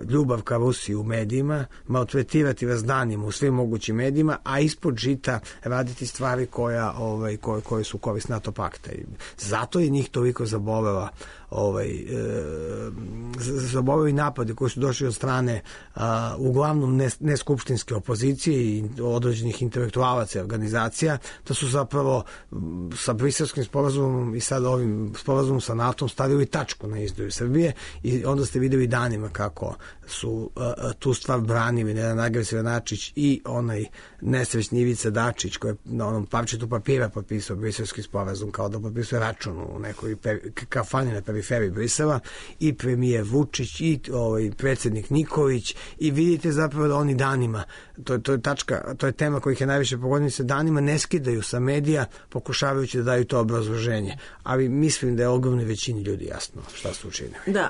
ljubav ka Rusiji u medijima, maltretirati vas danima u svim mogućim medijima, a ispod žita raditi stvari koje su korist NATO pakta. Zato je njih toliko zaboleli napadi koji su došli od strane uglavnom neskupštinske opozicije i određenih intelektualaca i organizacija, da su zapravo sa Briselskim sporazumom i sad ovim sporazumom sa NATO-om stavili tačku na izdaju Srbije i onda ste videli danima kako su tu stvar branili na jedan agresivan način i onaj nesrećni Ivica Dačić koji je na onom parčetu papira potpisao Briselski sporazum kao da potpisuje račun u nekoj kafani na periferiji Brisela, i premijer Vučić, i predsjednik Nikolić, i vidite zapravo da oni danima, to je tačka, to je tema kojih je najviše pogodila, se danima ne skidaju sa medija pokušavajući da daju to obrazloženje. Ali mislim da je ogromnoj većini ljudi jasno šta su učinili. Da,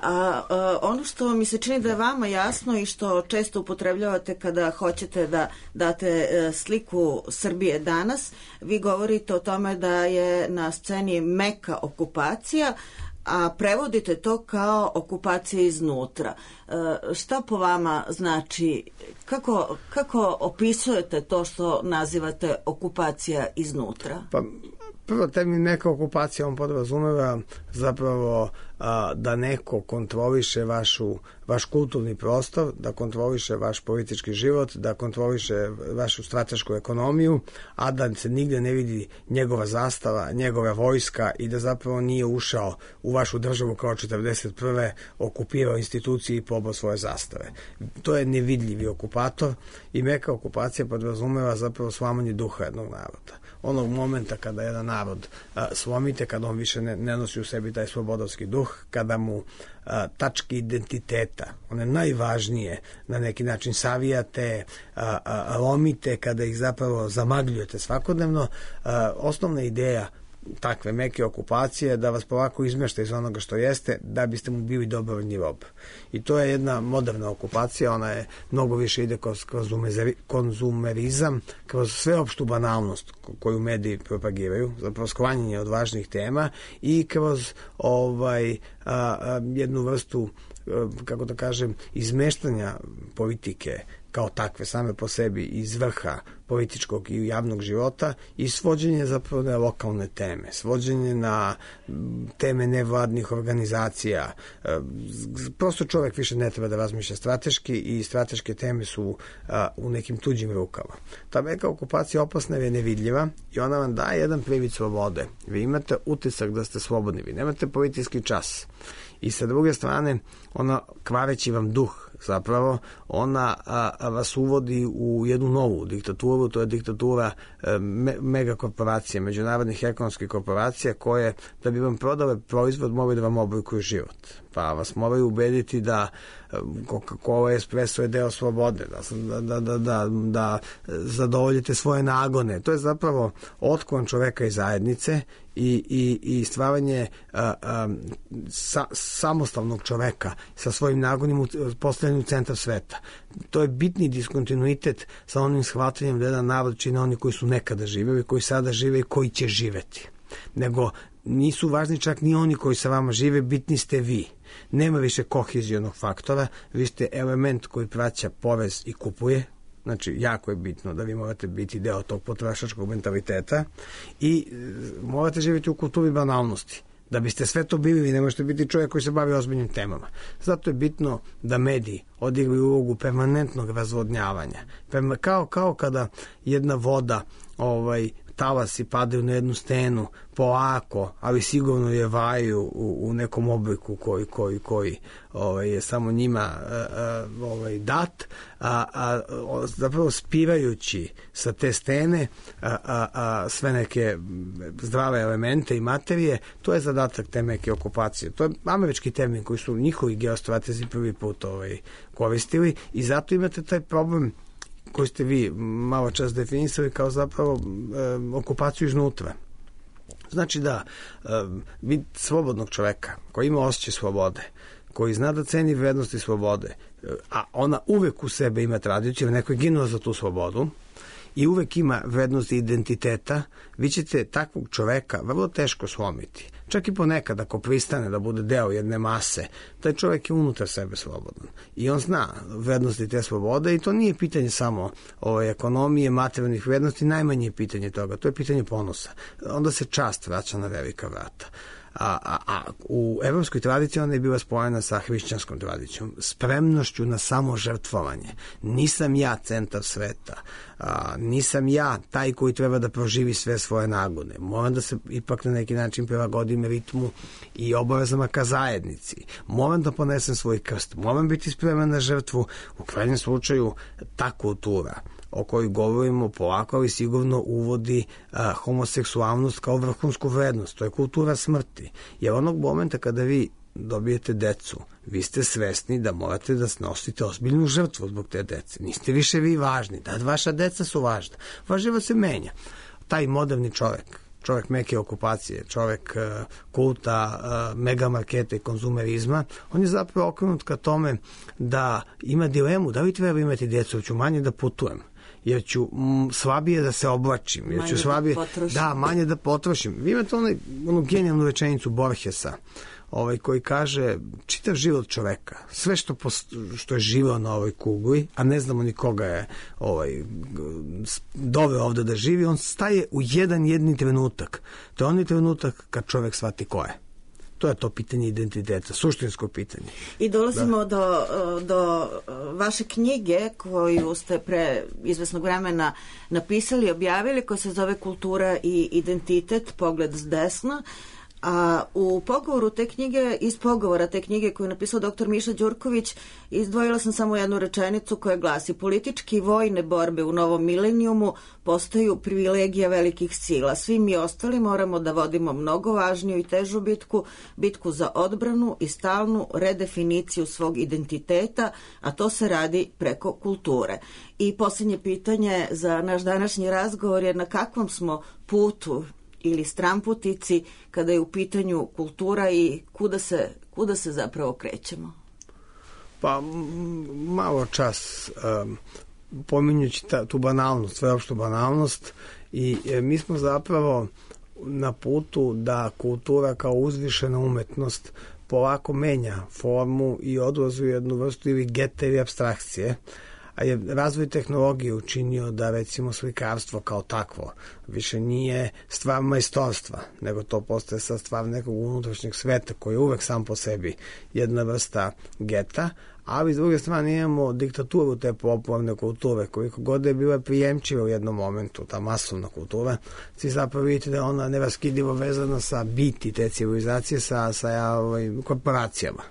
ono što mi se čini da je vama jasno i što često upotrebljavate kada hoćete da date sliku Srbije danas, vi govorite o tome da je na sceni meka okupacija, a prevodite to kao okupacija iznutra. Šta po vama znači, kako opisujete to što nazivate okupacija iznutra? Pa, prvo termin neka okupacija, on podrazumeva zapravo da neko kontroliše vaš kulturni prostor, da kontroliše vaš politički život, da kontroliše vašu stratešku ekonomiju, a da se nigde ne vidi njegova zastava, njegova vojska i da zapravo nije ušao u vašu državu kao 1941. okupirao institucije i pobao svoje zastave. To je nevidljivi okupator i meka okupacija podrazumeva zapravo slamanje duha jednog naroda. Onog momenta kada jedan narod slomite, kada on više ne nosi u sebi taj slobodovski duh, kada mu tačke identiteta, one najvažnije, na neki način savijate, lomite, kada ih zapravo zamagljujete svakodnevno, osnovna ideja takve meke okupacije da vas polako izmešta iz onoga što jeste da biste mu bili dobrovoljni rob. I to je jedna moderna okupacija, ona je mnogo više ide kroz konzumerizam, kroz sveopštu banalnost koju mediji propagiraju, zapravo sklanjanje od važnih tema i kroz jednu vrstu, kako da kažem, izmeštanja politike kao takve same po sebi iz vrha političkog i javnog života i svođenje zapravo na lokalne teme, svođenje na teme nevladnih organizacija. Prosto čovjek više ne treba da razmišlja strateški i strateške teme su u nekim tuđim rukama. Ta meka okupacija opasna je nevidljiva i ona vam daje jedan privid slobode. Vi imate utisak da ste slobodni, vi nemate policijski čas. I sa druge strane, ona kvareći vam duh, zapravo, ona vas uvodi u jednu novu diktaturu, to je diktatura megakorporacije, međunarodnih ekonomskih korporacija koje, da bi vam prodale proizvod, moraju da vam oblikuju život. Pa vas moraju ubediti da Coca-Cola espresso je deo slobode, da zadovoljite svoje nagone. To je zapravo otklon čoveka iz zajednice i stvaranje samostalnog čoveka sa svojim nagonima postavljanju centra sveta. To je bitni diskontinuitet sa onim shvatanjem da jedan narod čine oni koji su nekada živeli, koji sada žive i koji će živeti. Nego nisu važni čak ni oni koji sa vama žive, bitni ste vi. Nema više kohezionog faktora, vi ste element koji praća porez i kupuje, znači jako je bitno da vi morate biti deo tog potrošačkog mentaliteta i morate živjeti u kulturi banalnosti. Da biste sve to bili, vi ne možete biti čovjek koji se bavi ozbiljnim temama. Zato je bitno da mediji odigraju ulogu permanentnog razvodnjavanja. Kao kada jedna voda talasi padaju na jednu stenu polako, ali sigurno je vaju u nekom obliku koji je samo njima dat, zapravo spirajući sa te stene sve neke zdrave elemente i materije. To je zadatak te meke okupacije. To je američki termin koji su njihovi geostratezi prvi put koristili i zato imate taj problem koji ste vi malo čas definisali kao zapravo okupaciju iznutra. Znači da vid slobodnog čoveka koji ima osjećaj slobode, koji zna da ceni vrednosti slobode, a ona uvek u sebe ima tradiciju, neko je ginuo za tu slobodu i uvek ima vrednosti identiteta, vi ćete takvog čoveka vrlo teško slomiti. Čak i ponekad ako pristane da bude deo jedne mase, taj čovjek je unutar sebe slobodan. I on zna vrednosti te slobode i to nije pitanje samo ekonomije, materijalnih vrednosti, najmanje je pitanje toga, to je pitanje ponosa. Onda se čast vraća na velika vrata. A u evropskoj tradiciji ona je bila spojena sa hrišćanskom tradicijom, spremnošću na samožrtvovanje. Nisam ja centar sveta, nisam ja taj koji treba da proživi sve svoje nagone. Moram da se ipak na neki način prilagodim ritmu i obavezama ka zajednici. Moram da ponesem svoj krst, moram biti spreman na žrtvu. U krajnjem slučaju ta kultura o kojoj govorimo polako, ali sigurno uvodi homoseksualnost kao vrhunsku vrednost. To je kultura smrti. Jer onog momenta kada vi dobijete decu, vi ste svesni da morate da snosite ozbiljnu žrtvu zbog te dece. Niste više vi važni, da vaša deca su važna. Vaš život se menja. Taj moderni čovek meke okupacije, čovek kulta, megamarketa i konzumerizma, on je zapravo okrenut ka tome da ima dilemu, da li treba imati djecu, ću manje da putujem, jer ću slabije da se oblačim, jer ću slabije, manje da potrošim. Vi imate onu genijalnu rečenicu Borgesa, koji kaže čitav život čoveka, sve što je živao na ovoj kugli, a ne znamo ni koga je doveo ovde da živi, on staje u jedini trenutak. To je onaj trenutak kad čovek shvati ko je. To je to pitanje identiteta, suštinsko pitanje. I dolazimo do vaše knjige koju ste pre izvesnog vremena napisali, objavili, koja se zove Kultura i identitet, pogled s desna. A u pogovoru te knjige, iz pogovora te knjige koju je napisao dr. Miša Đurković, izdvojila sam samo jednu rečenicu koja glasi: politički i vojne borbe u novom milenijumu postaju privilegija velikih sila. Svi mi ostali moramo da vodimo mnogo važniju i težu bitku za odbranu i stalnu redefiniciju svog identiteta, a to se radi preko kulture. I posljednje pitanje za naš današnji razgovor je: na kakvom smo putu ili stramputici kada je u pitanju kultura i kuda se zapravo krećemo? Pa malo čas pominjući tu banalnost, sveopštu banalnost, i mi smo zapravo na putu da kultura kao uzvišena umetnost polako menja formu i odlazi u jednu vrstu ili geta ili apstrakcije. A je razvoj tehnologije učinio da recimo slikarstvo kao takvo više nije stvar majstorstva, nego to postaje sad stvar nekog unutrašnjeg sveta koji je uvek sam po sebi jedna vrsta geta, ali s druge strane imamo diktaturu te popularne kulture, koliko god je bila prijemčiva u jednom momentu, ta masovna kultura, svi zapravo vidite da je ona neraskidivo vezana sa biti te civilizacije, sa korporacijama.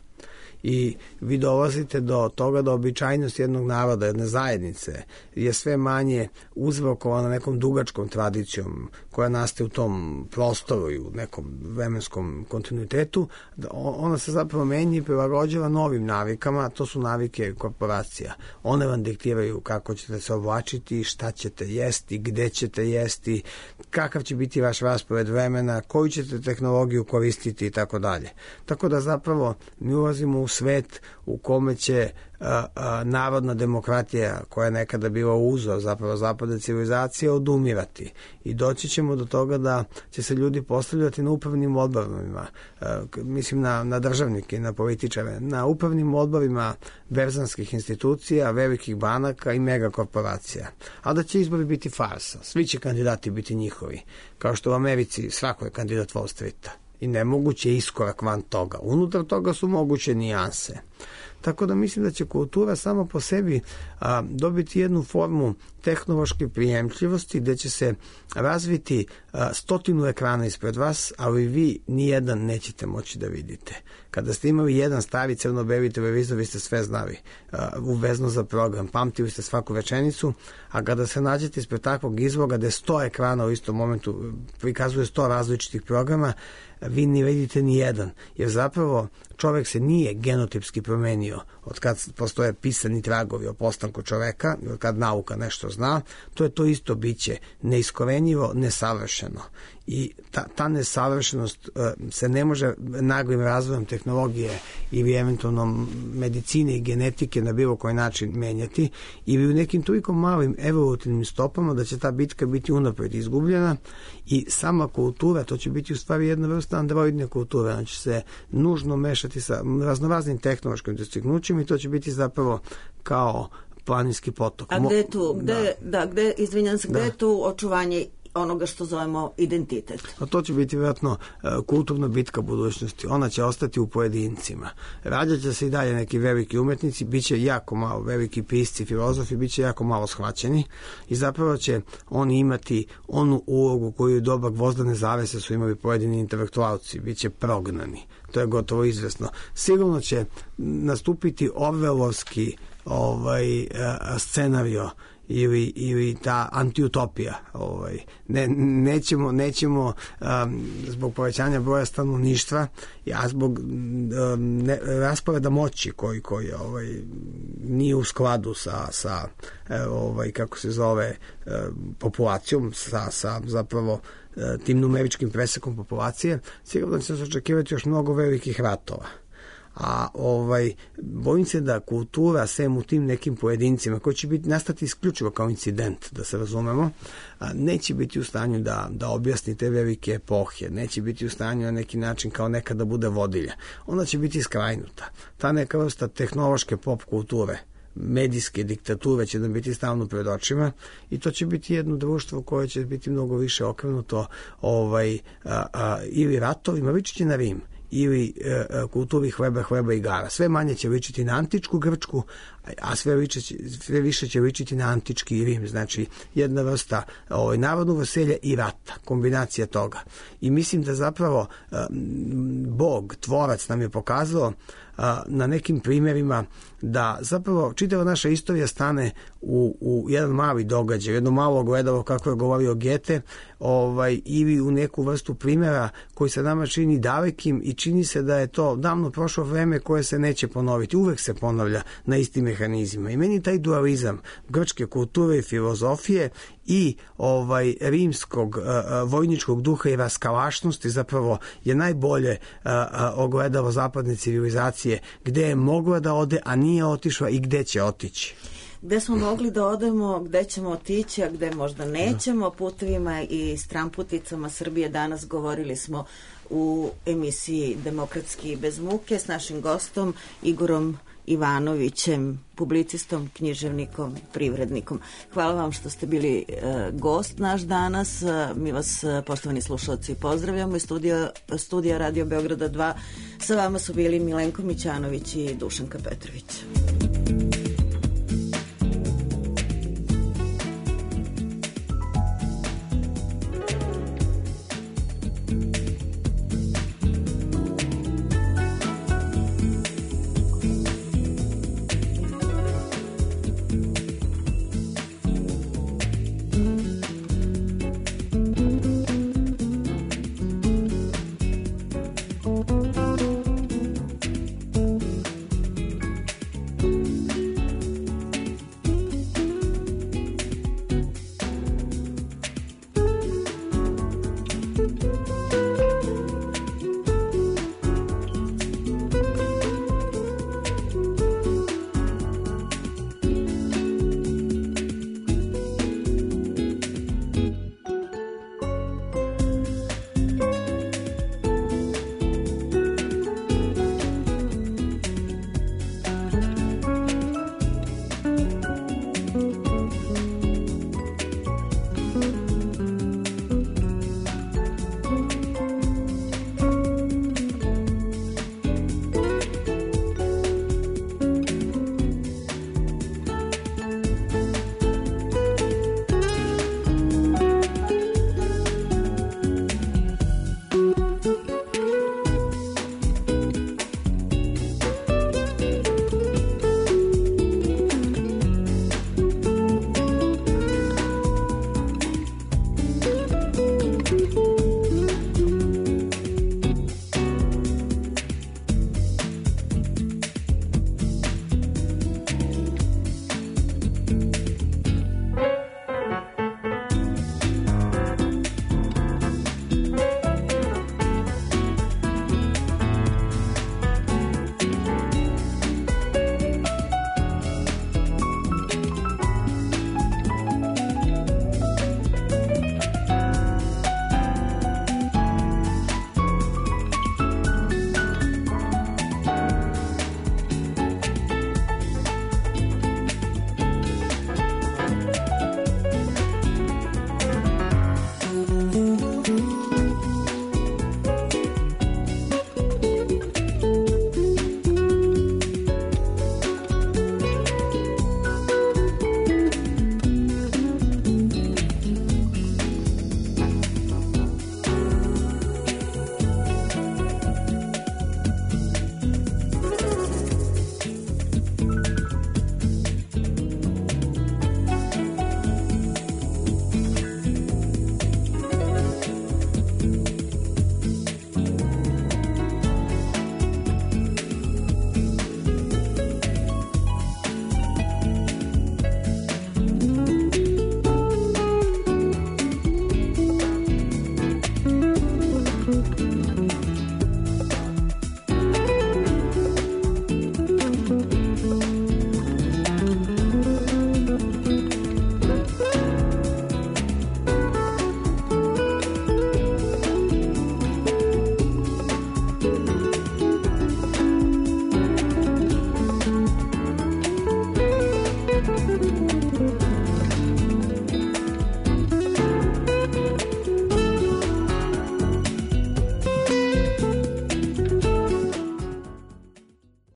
I vi dolazite do toga da običajnost jednog naroda, jedne zajednice je sve manje uzrokovana nekom dugačkom tradicijom koja nastaje u tom prostoru i u nekom vremenskom kontinuitetu. Ona se zapravo menja i prilagođava novim navikama, a to su navike korporacija. One vam diktiraju kako ćete se oblačiti, šta ćete jesti, gde ćete jesti, kakav će biti vaš raspored vremena, koju ćete tehnologiju koristiti i tako dalje. Tako da zapravo mi ulazimo u svet u kome će narodna demokratija, koja je nekada bila uzor zapravo zapadne civilizacije, odumirati. I doći ćemo do toga da će se ljudi postavljati na upravnim odborima, mislim na državnike i na političare, na upravnim odborima berzanskih institucija, velikih banaka i megakorporacija. A da će izbori biti farsa. Svi će kandidati biti njihovi. Kao što u Americi svako je kandidat Wall Streeta. I nemoguće je iskorak van toga. Unutar toga su moguće nijanse. Tako da mislim da će kultura samo po sebi dobiti jednu formu tehnološke prijemčljivosti gde će se razviti 100 ekrana ispred vas, ali vi nijedan nećete moći da vidite. Kada ste imali jedan stari crno-beli televizor, vi ste sve znali, uvezno za program, pamtili ste svaku rečenicu, a kada se nađete ispred takvog izloga gde 100 ekrana u istom momentu prikazuje 100 različitih programa, vi ne vidite ni jedan, jer zapravo čovek se nije genotipski promenio od kad postoje pisani tragovi o postanku čoveka, od kad nauka nešto zna. To je to isto biće, neiskorenjivo, nesavršeno. I ta nesavršenost se ne može naglim razvojem tehnologije ili eventualno medicine i genetike na bilo koji način menjati, ili u nekim toliko malim evolutivnim stopama da će ta bitka biti unapred izgubljena. I sama kultura, to će biti u stvari jedna vrsta androidne kulture, ona će se nužno mešati sa raznoraznim tehnološkim dostignućima i to će biti zapravo kao planinski potok. A gde je tu, gde je tu očuvanje onoga što zovemo identitet? A to će biti vjerojatno kulturna bitka budućnosti. Ona će ostati u pojedincima. Rađat će se i dalje neki veliki umetnici, bit će jako malo veliki pisci, filozofi, bit će jako malo shvaćeni i zapravo će oni imati onu ulogu koju doba gvozdane zavese su imali pojedini intelektualci, bit će prognani. To je gotovo izvesno. Sigurno će nastupiti orvelovski scenario ili ta antiutopija. Nećemo zbog povećanja broja stanovništva, a zbog rasporeda moći koji nije u skladu sa kako se zove, populacijom, sa zapravo tim numeričkim presekom populacije, sigurno će se očekivati još mnogo velikih ratova. A bojim se da kultura, sem u tim nekim pojedincima koji će nastati isključivo kao incident, da se razumemo, neće biti u stanju da objasni te velike epohe, neće biti u stanju na neki način kao nekada bude vodilja. Ona će biti skrajnuta. Ta neka vrsta tehnološke pop kulture, medijske diktature će nam biti stalno pred očima i to će biti jedno društvo koje će biti mnogo više okrenuto ili ratovima, ličit će na Rim, ili kulturi hleba i igara. Sve manje će ličiti na antičku Grčku, a sve više će ličiti na antički Rim. Znači, jedna vrsta narodnog veselja i rata, kombinacija toga. I mislim da zapravo Bog, tvorac, nam je pokazao na nekim primjerima da zapravo čitava naša istorija stane u jedan mali događaj, jedno malo ogledalo, kako je govorio Goethe, ili u neku vrstu primjera koji se nama čini dalekim i čini se da je to davno prošlo vreme koje se neće ponoviti. Uvek se ponavlja na istim mehanizmima. I meni taj dualizam grčke kulture i filozofije i rimskog vojničkog duha i raskalašnosti zapravo je najbolje ogledalo zapadne civilizacije, gde je mogla da ode, a nije otišla i gde će otići. Gde smo mogli da odemo, gde ćemo otići, a gde možda nećemo, putevima i stramputicama Srbije. Danas govorili smo u emisiji Demokratski bez muke s našim gostom Igorom Ivanovićem, publicistom, književnikom, privrednikom. Hvala vam što ste bili gost naš danas. Mi vas, poštovani slušalci, pozdravljamo iz studija Radio Beograda 2. Sa vama su bili Milenko Mićanović i Dušanka Petrović.